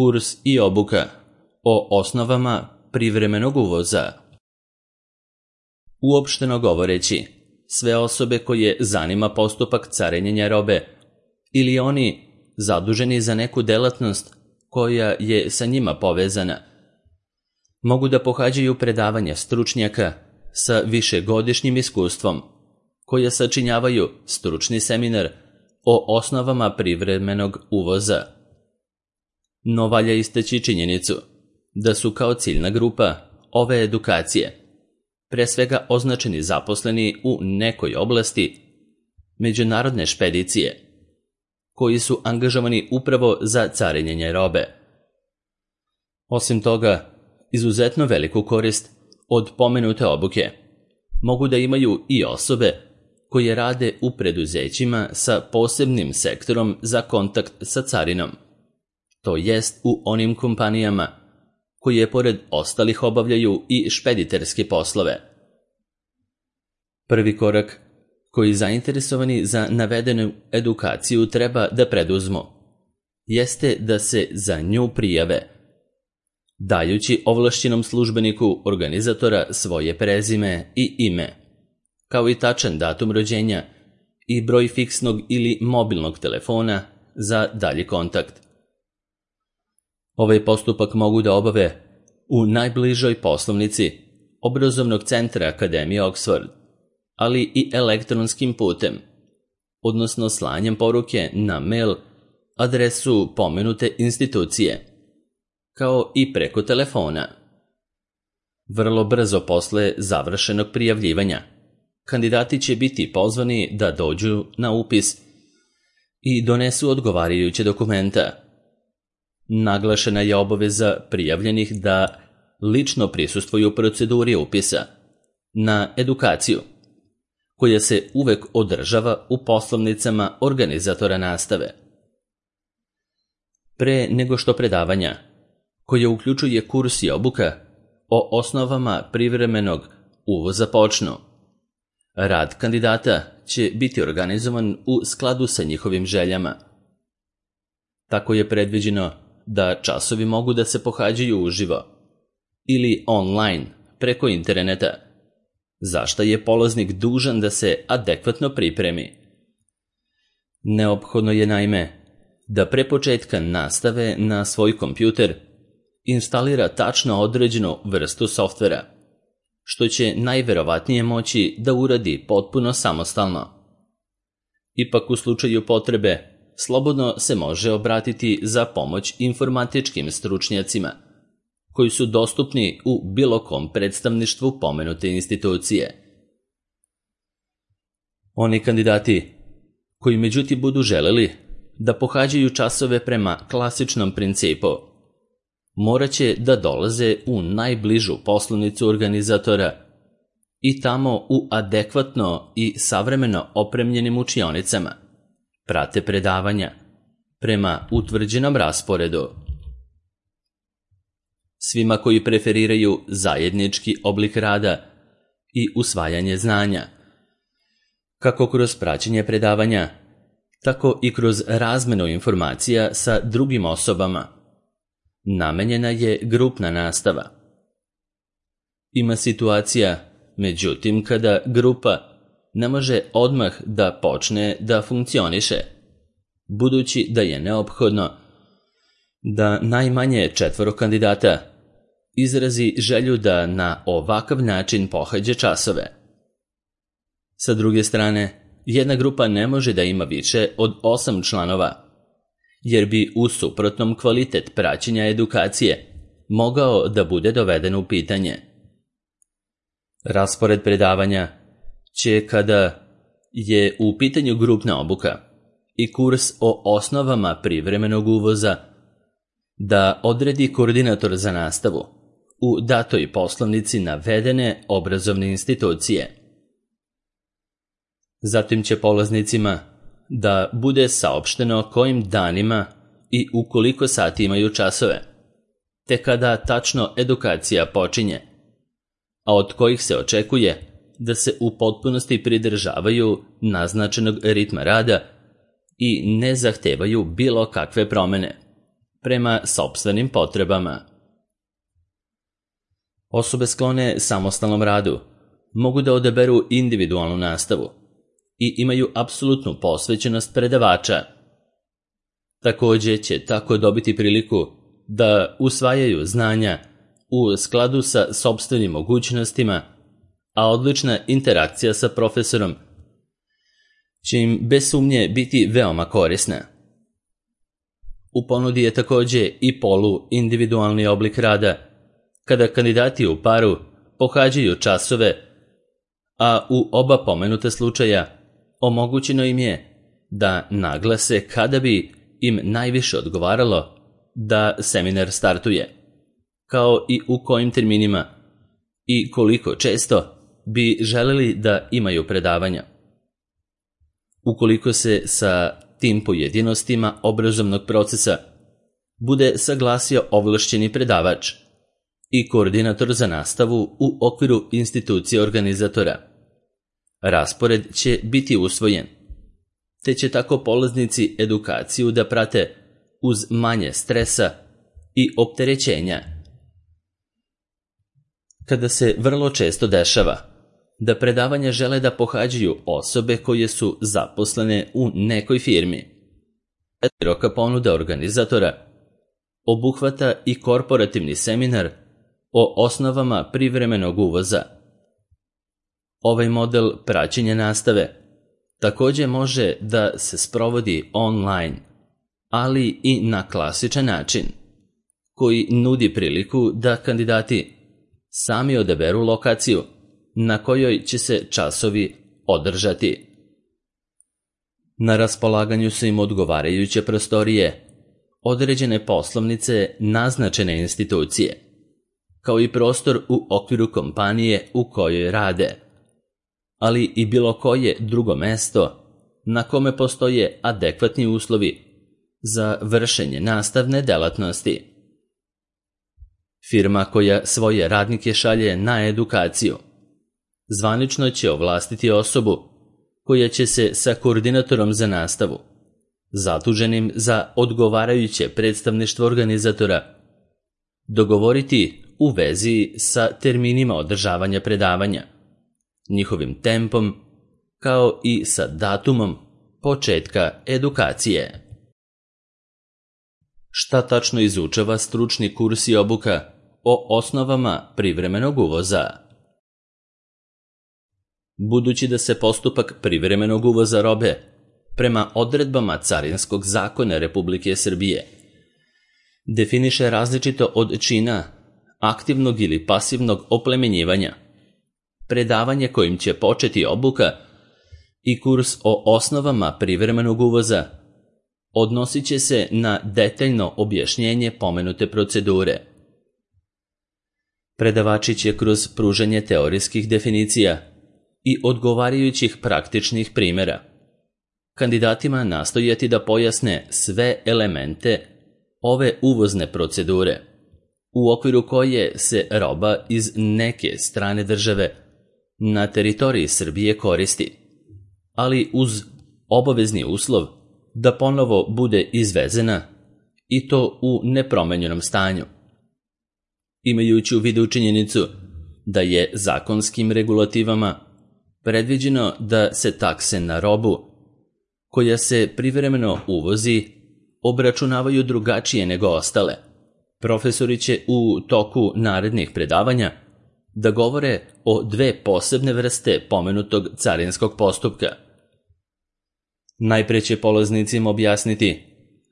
Kurs i obuka o osnovama privremenog uvoza. Uopšteno govoreći, sve osobe koje zanima postupak carinjenja robe ili oni zaduženi za neku delatnost koja je sa njima povezana, mogu da pohađaju predavanja stručnjaka sa višegodišnjim iskustvom, koje sačinjavaju stručni seminar o osnovama privremenog uvoza. No valja istaći činjenicu da su kao ciljna grupa ove edukacije pre svega označeni zaposleni u nekoj oblasti međunarodne špedicije, koji su angažovani upravo za carinjenje robe. Osim toga, izuzetno veliku korist od pomenute obuke mogu da imaju i osobe koje rade u preduzećima sa posebnim sektorom za kontakt sa carinom, to jest u onim kompanijama koje pored ostalih obavljaju i špediterske poslove. Prvi korak koji zainteresovani za navedenu edukaciju treba da preduzmu jeste da se za nju prijave, dajući ovlašćenom službeniku organizatora svoje prezime i ime, kao i tačan datum rođenja i broj fiksnog ili mobilnog telefona za dalji kontakt. Ovaj postupak mogu da obave u najbližoj poslovnici obrazovnog centra Akademije Oxford, ali i elektronskim putem, odnosno slanjem poruke na mail adresu pomenute institucije, kao i preko telefona. Vrlo brzo posle završenog prijavljivanja, kandidati će biti pozvani da dođu na upis i donesu odgovarajuće dokumenta. Naglašena je obaveza prijavljenih da lično prisustvuju proceduri upisa na edukaciju, koja se uvek održava u poslovnicama organizatora nastave. Pre nego što predavanja, koje uključuje kurs i obuka o osnovama privremenog uvoza počnu, rad kandidata će biti organizovan u skladu sa njihovim željama. Tako je predviđeno da časovi mogu da se pohađaju uživo ili online preko interneta, za šta je polaznik dužan da se adekvatno pripremi. Neophodno je naime da pre početka nastave na svoj kompjuter instalira tačno određenu vrstu softvera, što će najverovatnije moći da uradi potpuno samostalno. Ipak u slučaju potrebe slobodno se može obratiti za pomoć informatičkim stručnjacima, koji su dostupni u bilo kom predstavništvu pomenute institucije. Oni kandidati koji međutim budu želeli da pohađaju časove prema klasičnom principu, morat će da dolaze u najbližu poslovnicu organizatora i tamo u adekvatno i savremeno opremljenim učionicama prate predavanja prema utvrđenom rasporedu. Svima koji preferiraju zajednički oblik rada i usvajanje znanja, kako kroz praćenje predavanja, tako i kroz razmenu informacija sa drugim osobama, namenjena je grupna nastava. Ima situacija, međutim, kada grupa ne može odmah da počne da funkcioniše, budući da je neophodno da najmanje 4 kandidata izrazi želju da na ovakav način pohađa časove. Sa druge strane, jedna grupa ne može da ima više od 8 članova, jer bi u suprotnom kvalitet praćenja edukacije mogao da bude doveden u pitanje. Raspored predavanja će, kada je u pitanju grupna obuka i kurs o osnovama privremenog uvoza, da odredi koordinator za nastavu u datoj poslovnici navedene obrazovne institucije. Zatim će polaznicima da bude saopšteno kojim danima i u koliko sati imaju časove, te kada tačno edukacija počinje, a od kojih se očekuje da se u potpunosti pridržavaju naznačenog ritma rada i ne zahtevaju bilo kakve promene, prema sopstvenim potrebama. Osobe sklone samostalnom radu mogu da odaberu individualnu nastavu i imaju apsolutnu posvećenost predavača. Također će tako dobiti priliku da usvajaju znanja u skladu sa sopstvenim mogućnostima, a odlična interakcija sa profesorom će im bez sumnje biti veoma korisna. U ponudi je također i polu-individualni oblik rada, kada kandidati u paru pohađaju časove, a u oba pomenuta slučaja omogućeno im je da naglase kada bi im najviše odgovaralo da seminar startuje, kao i u kojim terminima i koliko često bi želeli da imaju predavanja. Ukoliko se sa tim pojedinostima obrazovnog procesa bude saglasio ovlašćeni predavač i koordinator za nastavu u okviru institucije organizatora, raspored će biti usvojen, te će tako polaznici edukaciju da prate uz manje stresa i opterećenja. Kada se vrlo često dešava da predavanja žele da pohađaju osobe koje su zaposlene u nekoj firmi, široka ponuda organizatora obuhvata i korporativni seminar o osnovama privremenog uvoza. Ovaj model praćenja nastave također može da se sprovodi online, ali i na klasičan način, koji nudi priliku da kandidati sami odaberu lokaciju na kojoj će se časovi održati. Na raspolaganju su im odgovarajuće prostorije, određene poslovnice naznačene institucije, kao i prostor u okviru kompanije u kojoj rade, ali i bilo koje drugo mesto na kome postoje adekvatni uslovi za vršenje nastavne delatnosti. Firma koja svoje radnike šalje na edukaciju zvanično će ovlastiti osobu koja će se sa koordinatorom za nastavu, zaduženim za odgovarajuće predstavništvo organizatora, dogovoriti u vezi sa terminima održavanja predavanja, njihovim tempom, kao i sa datumom početka edukacije. Šta tačno izučava stručni kurs i obuka o osnovama privremenog uvoza? Budući da se postupak privremenog uvoza robe prema odredbama Carinskog zakona Republike Srbije definiše različito od čina aktivnog ili pasivnog oplemenjivanja, predavanje kojim će početi obuka i kurs o osnovama privremenog uvoza odnosit će se na detaljno objašnjenje pomenute procedure. Predavači će kroz pružanje teorijskih definicija i odgovarajućih praktičnih primjera kandidatima nastojati da pojasne sve elemente ove uvozne procedure, u okviru koje se roba iz neke strane države na teritoriji Srbije koristi, ali uz obavezni uslov da ponovo bude izvezena i to u nepromenjenom stanju. Imajući u vidu činjenicu da je zakonskim regulativama predviđeno da se takse na robu koja se privremeno uvozi obračunavaju drugačije nego ostale, profesori će u toku narednih predavanja da govore o dve posebne vrste pomenutog carinskog postupka. Najpre će polaznicima objasniti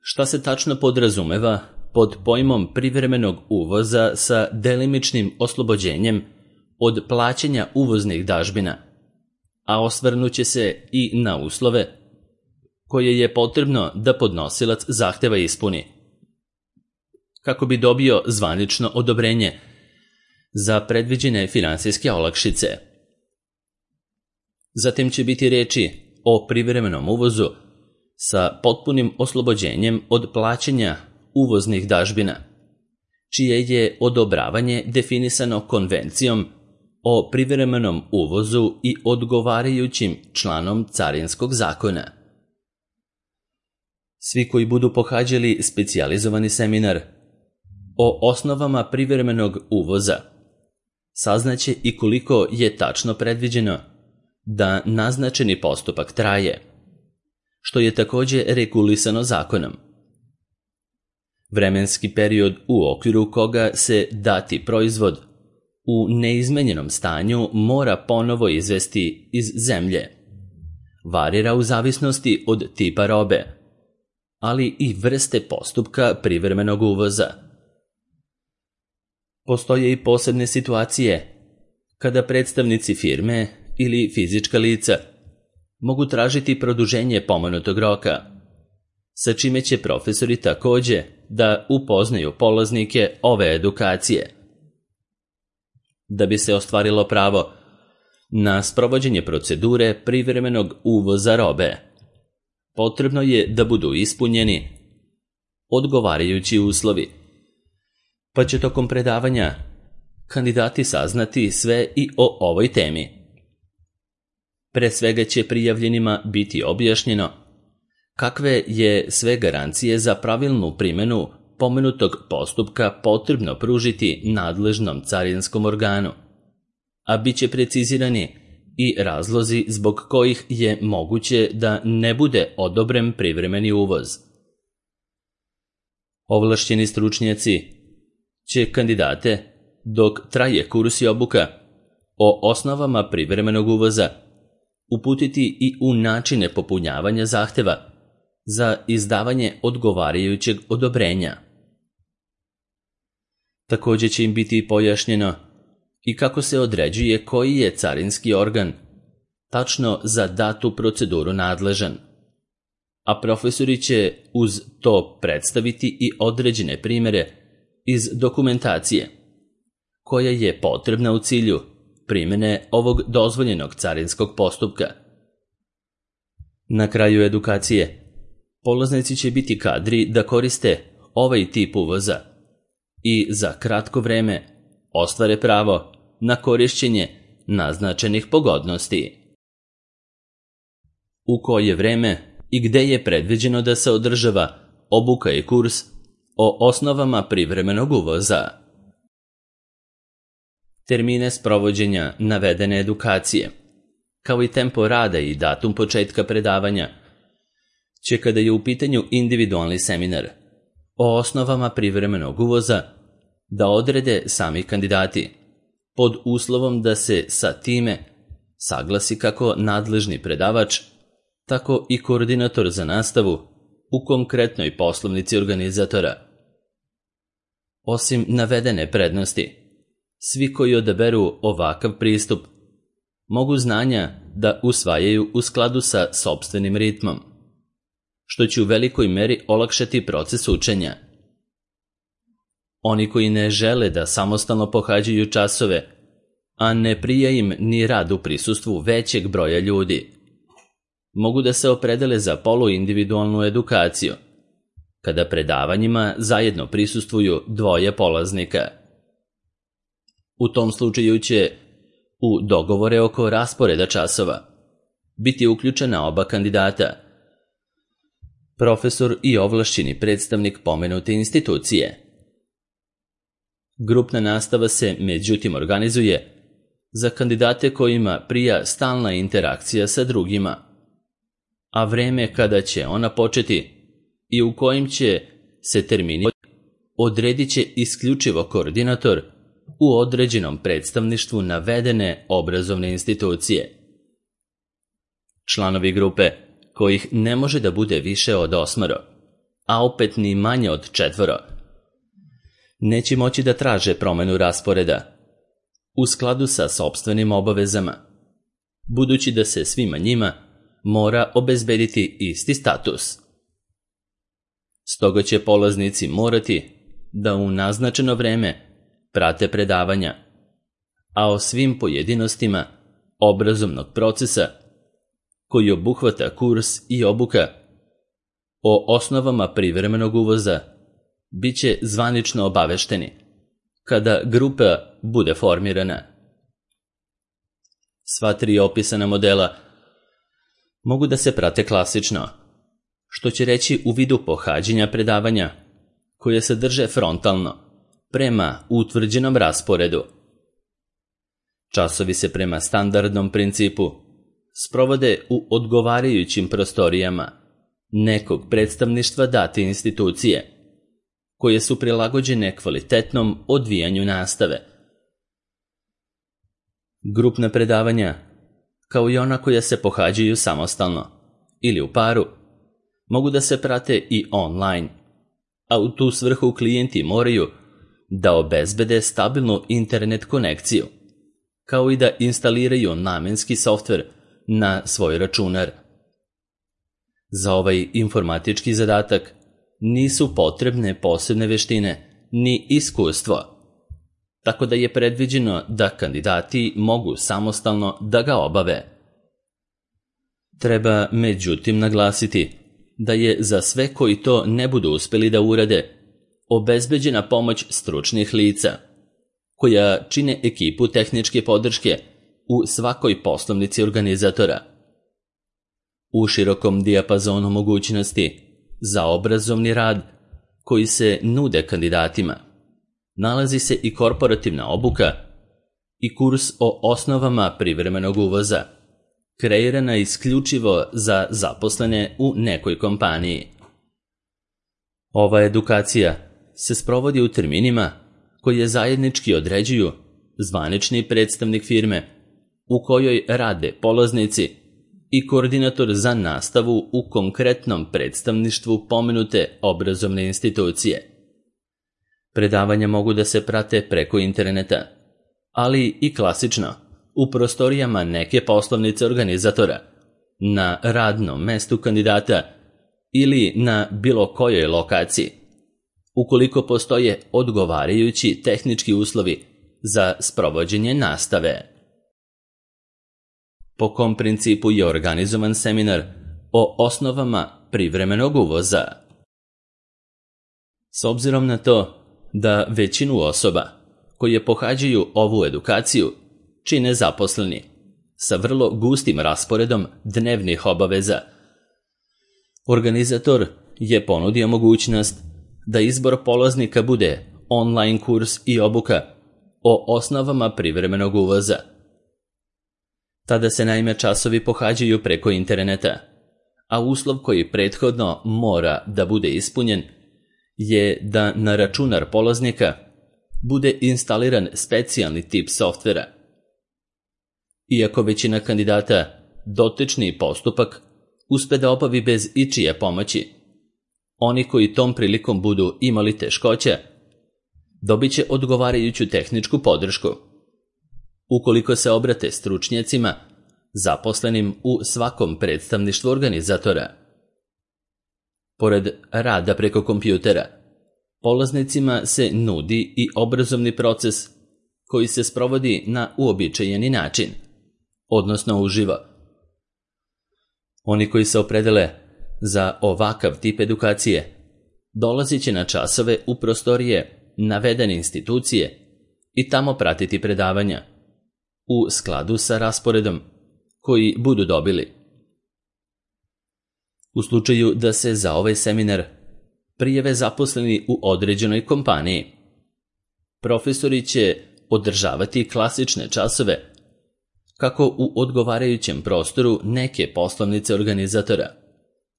šta se tačno podrazumeva pod pojmom privremenog uvoza sa delimičnim oslobođenjem od plaćanja uvoznih dažbina, a osvrnuće se i na uslove koje je potrebno da podnosilac zahteva ispuni, kako bi dobio zvanično odobrenje za predviđene finansijske olakšice. Zatim će biti reči o privremenom uvozu sa potpunim oslobođenjem od plaćanja uvoznih dažbina, čije je odobravanje definisano konvencijom o privremenom uvozu i odgovarajućim članom Carinskog zakona. Svi koji budu pohađali specijalizovani seminar o osnovama privremenog uvoza saznaće i koliko je tačno predviđeno da naznačeni postupak traje, što je također regulisano zakonom. Vremenski period u okviru koga se dati proizvod u neizmenjenom stanju mora ponovo izvesti iz zemlje. Varira u zavisnosti od tipa robe, ali i vrste postupka privremenog uvoza. Postoje i posebne situacije kada predstavnici firme ili fizička lica mogu tražiti produženje pomenutog roka, sa čime će profesori također da upoznaju polaznike ove edukacije. Da bi se ostvarilo pravo na sprovođenje procedure privremenog uvoza robe, potrebno je da budu ispunjeni odgovarajući uslovi, pa će tokom predavanja kandidati saznati sve i o ovoj temi. Pre svega će prijavljenima biti objašnjeno kakve je sve garancije za pravilnu primjenu pomenutog postupka potrebno pružiti nadležnom carinskom organu, a bit će precizirani i razlozi zbog kojih je moguće da ne bude odobren privremeni uvoz. Ovlašćeni stručnjaci će kandidate, dok traje kurs i obuka o osnovama privremenog uvoza, uputiti i u načine popunjavanja zahteva za izdavanje odgovarajućeg odobrenja. Također će im biti pojašnjeno i kako se određuje koji je carinski organ tačno za datu proceduru nadležan, a profesori će uz to predstaviti i određene primjere iz dokumentacije koja je potrebna u cilju primjene ovog dozvoljenog carinskog postupka. Na kraju edukacije polaznici će biti kadri da koriste ovaj tip uvoza i za kratko vreme ostvare pravo na korišćenje naznačenih pogodnosti. U koje vreme i gde je predviđeno da se održava obuka i kurs o osnovama privremenog uvoza. Termine sprovođenja navedene edukacije, kao i tempo rada i datum početka predavanja, će kada je u pitanju individualni seminar o osnovama privremenog uvoza da odrede sami kandidati, pod uslovom da se sa time saglasi kako nadležni predavač, tako i koordinator za nastavu u konkretnoj poslovnici organizatora. Osim navedene prednosti, svi koji odaberu ovakav pristup mogu znanja da usvajaju u skladu sa sopstvenim ritmom, što će u velikoj meri olakšati proces učenja. Oni koji ne žele da samostalno pohađaju časove, a ne prija im ni rad u prisustvu većeg broja ljudi, mogu da se opredele za poluindividualnu edukaciju, kada predavanjima zajedno prisustvuju dvoje polaznika. U tom slučaju će u dogovore oko rasporeda časova biti uključena oba kandidata, profesor i ovlašćeni predstavnik pomenute institucije. Grupna nastava se međutim organizuje za kandidate kojima prija stalna interakcija sa drugima, a vreme kada će ona početi i u kojim će se termini odredit će isključivo koordinator u određenom predstavništvu navedene obrazovne institucije. Članovi grupe, kojih ne može da bude više od 8, a opet ni manje od 4, neće moći da traže promenu rasporeda u skladu sa sopstvenim obavezama, budući da se svima njima mora obezbediti isti status. Stoga će polaznici morati da u naznačeno vreme prate predavanja, a o svim pojedinostima obrazovnog procesa koji obuhvata kurs i obuka o osnovama privremenog uvoza bit će zvanično obavešteni kada grupa bude formirana. Sva 3 opisana modela mogu da se prate klasično, što će reći u vidu pohađanja predavanja, koje se drže frontalno, prema utvrđenom rasporedu. Časovi se prema standardnom principu sprovode u odgovarajućim prostorijama nekog predstavništva date institucije, koje su prilagođene kvalitetnom odvijanju nastave. Grupna predavanja, kao i ona koja se pohađaju samostalno ili u paru, mogu da se prate i online, a u tu svrhu klijenti moraju da obezbede stabilnu internet konekciju, kao i da instaliraju namenski softver na svoj računar. Za ovaj informatički zadatak nisu potrebne posebne veštine ni iskustvo, tako da je predviđeno da kandidati mogu samostalno da ga obave. Treba međutim naglasiti da je za sve koji to ne budu uspeli da urade obezbeđena pomoć stručnih lica, koja čine ekipu tehničke podrške u svakoj poslovnici organizatora. U širokom dijapazonu mogućnosti za obrazovni rad koji se nude kandidatima nalazi se i korporativna obuka i kurs o osnovama privremenog uvoza, kreirana isključivo za zaposlene u nekoj kompaniji. Ova edukacija se sprovodi u terminima koje zajednički određuju zvanični predstavnik firme u kojoj rade polaznici i koordinator za nastavu u konkretnom predstavništvu pomenute obrazovne institucije. Predavanja mogu da se prate preko interneta, ali i klasično u prostorijama neke poslovnice organizatora, na radnom mestu kandidata ili na bilo kojoj lokaciji, ukoliko postoje odgovarajući tehnički uslovi za sprovođenje nastave. Po kom principu je organizovan seminar o osnovama privremenog uvoza? S obzirom na to da većinu osoba koje pohađaju ovu edukaciju čine zaposleni sa vrlo gustim rasporedom dnevnih obaveza, organizator je ponudio mogućnost da izbor polaznika bude online kurs i obuka o osnovama privremenog uvoza. Tada se naime časovi pohađaju preko interneta, a uslov koji prethodno mora da bude ispunjen je da na računar polaznika bude instaliran specijalni tip softvera. Iako većina kandidata dotični postupak uspe da obavi bez ičije pomoći, oni koji tom prilikom budu imali teškoća dobit će odgovarajuću tehničku podršku, ukoliko se obrate stručnjacima zaposlenim u svakom predstavništvu organizatora. Pored rada preko kompjutera, polaznicima se nudi i obrazovni proces koji se sprovodi na uobičajeni način, odnosno uživo. Oni koji se opredele za ovakav tip edukacije dolazit će na časove u prostorije navedene institucije i tamo pratiti predavanja u skladu sa rasporedom koji budu dobili. U slučaju da se za ovaj seminar prijave zaposleni u određenoj kompaniji, profesori će održavati klasične časove kako u odgovarajućem prostoru neke poslovnice organizatora,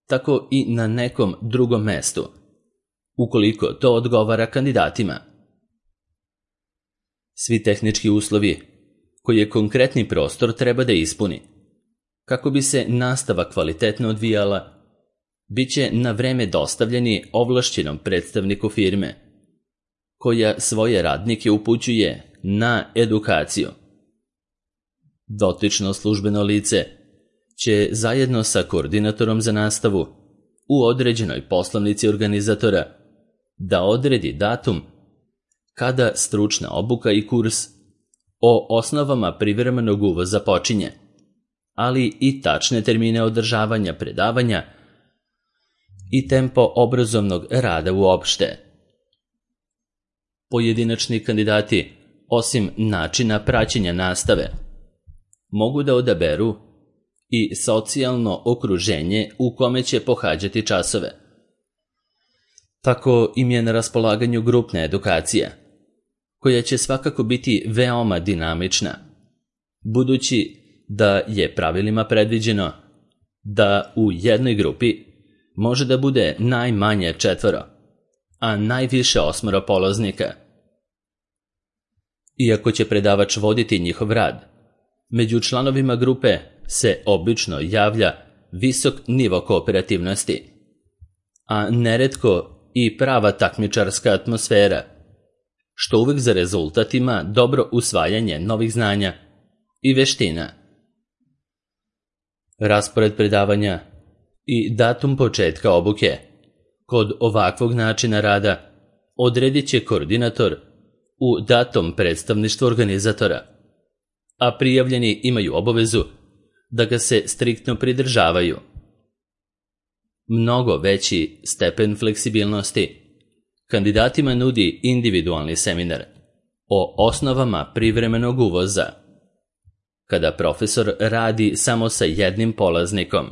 tako i na nekom drugom mestu, ukoliko to odgovara kandidatima. Svi tehnički uslovi koje konkretni prostor treba da ispuni kako bi se nastava kvalitetno odvijala, bit će na vreme dostavljeni ovlašćenom predstavniku firme, koja svoje radnike upućuje na edukaciju. Dotično službeno lice će zajedno sa koordinatorom za nastavu u određenoj poslovnici organizatora da odredi datum kada stručna obuka i kurs o osnovama privremenog uvoza počinje, ali i tačne termine održavanja predavanja i tempo obrazovnog rada uopšte. Pojedinačni kandidati, osim načina praćenja nastave, mogu da odaberu i socijalno okruženje u kome će pohađati časove. Tako im je na raspolaganju grupna edukacija, koja će svakako biti veoma dinamična, budući da je pravilima predviđeno da u jednoj grupi može da bude najmanje 4, a najviše 8 polaznika. Iako će predavač voditi njihov rad, među članovima grupe se obično javlja visok nivo kooperativnosti, a neretko i prava takmičarska atmosfera, što uvek za rezultat ima dobro usvajanje novih znanja i veština. Raspored predavanja i datum početka obuke kod ovakvog načina rada odredit će koordinator u datom predstavništvu organizatora, a prijavljeni imaju obavezu da ga se striktno pridržavaju. Mnogo veći stepen fleksibilnosti kandidatima nudi individualni seminar o osnovama privremenog uvoza, kada profesor radi samo sa jednim polaznikom.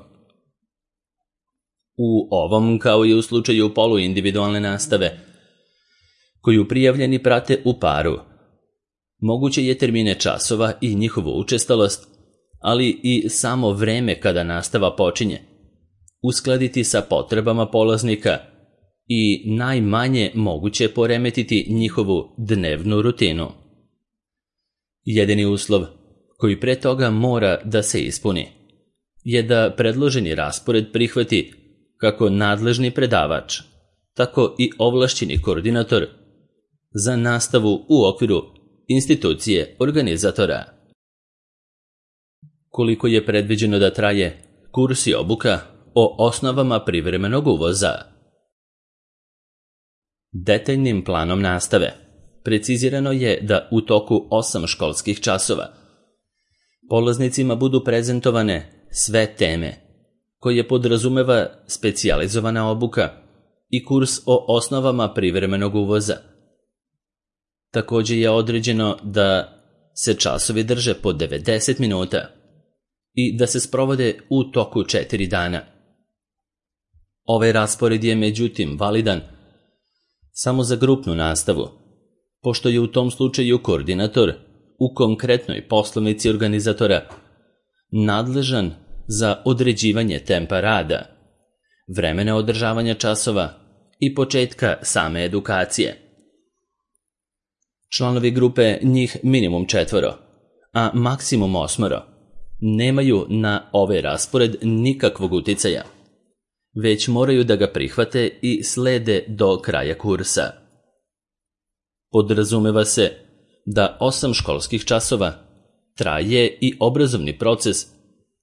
U ovom, kao i u slučaju poluindividualne nastave, koju prijavljeni prate u paru, moguće je termine časova i njihovu učestalost, ali i samo vreme kada nastava počinje, uskladiti sa potrebama polaznika i najmanje moguće poremetiti njihovu dnevnu rutinu. Jedini uslov koji pre toga mora da se ispuni je da predloženi raspored prihvati kako nadležni predavač, tako i ovlašćeni koordinator za nastavu u okviru institucije organizatora. Koliko je predviđeno da traje kurs i obuka o osnovama privremenog uvoza? Detaljnim planom nastave precizirano je da u toku 8 školskih časova polaznicima budu prezentovane sve teme koje podrazumeva specijalizovana obuka i kurs o osnovama privremenog uvoza. Također je određeno da se časovi drže po 90 minuta i da se sprovode u toku 4 dana. Ovaj raspored je međutim validan samo za grupnu nastavu, pošto je u tom slučaju koordinator u konkretnoj poslovnici organizatora nadležan za određivanje tempa rada, vremena održavanja časova i početka same edukacije. Članovi grupe, njih minimum 4, a maksimum 8, nemaju na ovaj raspored nikakvog uticaja, već moraju da ga prihvate i slede do kraja kursa. Podrazumeva se da 8 školskih časova traje i obrazovni proces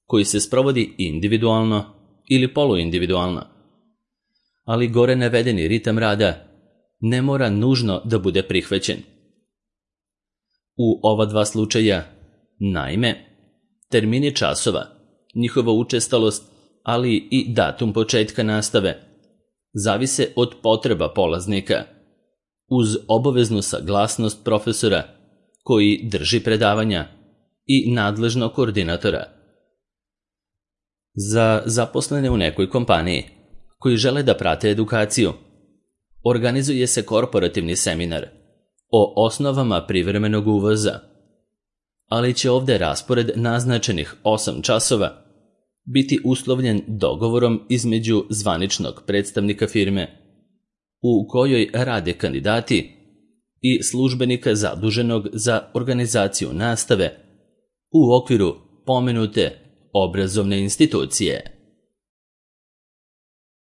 koji se sprovodi individualno ili poluindividualno, ali gore navedeni ritam rada ne mora nužno da bude prihvaćen. U ova 2 slučaja, naime, termini časova, njihova učestalost, ali i datum početka nastave, zavise od potreba polaznika, uz obaveznu saglasnost profesora koji drži predavanja i nadležnog koordinatora. Za zaposlene u nekoj kompaniji koji žele da prate edukaciju, organizuje se korporativni seminar o osnovama privremenog uvoza, ali će ovde raspored naznačenih 8 časova biti uslovljen dogovorom između zvaničnog predstavnika firme u kojoj rade kandidati i službenika zaduženog za organizaciju nastave u okviru pomenute obrazovne institucije.